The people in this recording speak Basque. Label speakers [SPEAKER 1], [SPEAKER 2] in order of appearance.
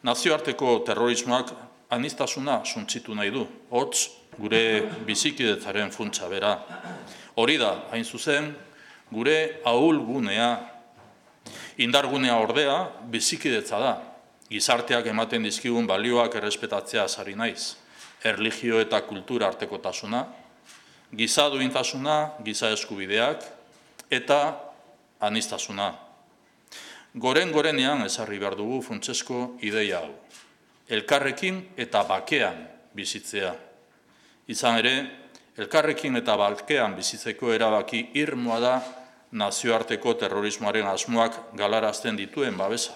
[SPEAKER 1] Nazioarteko terrorismoak aniztasuna suntsitu nahi du, hots gure bizikidetzaren funtsa bera. Hori da, hain zuzen, gure ahulgunea, indargunea ordea bizikidetza da. Gizarteak ematen dizkigun balioak errespetatzea sari naiz. Erlijio eta kultura artekotasuna, giza duintasuna, giza eskubideak eta aniztasuna. Gorenean ezarri behar dugu funtsezko ideia hau. Elkarrekin eta bakean bizitzea. Izan ere, elkarrekin eta bakean bizitzeko erabaki irmoa da nazioarteko terrorismoaren asmoak galarazten dituen babesa.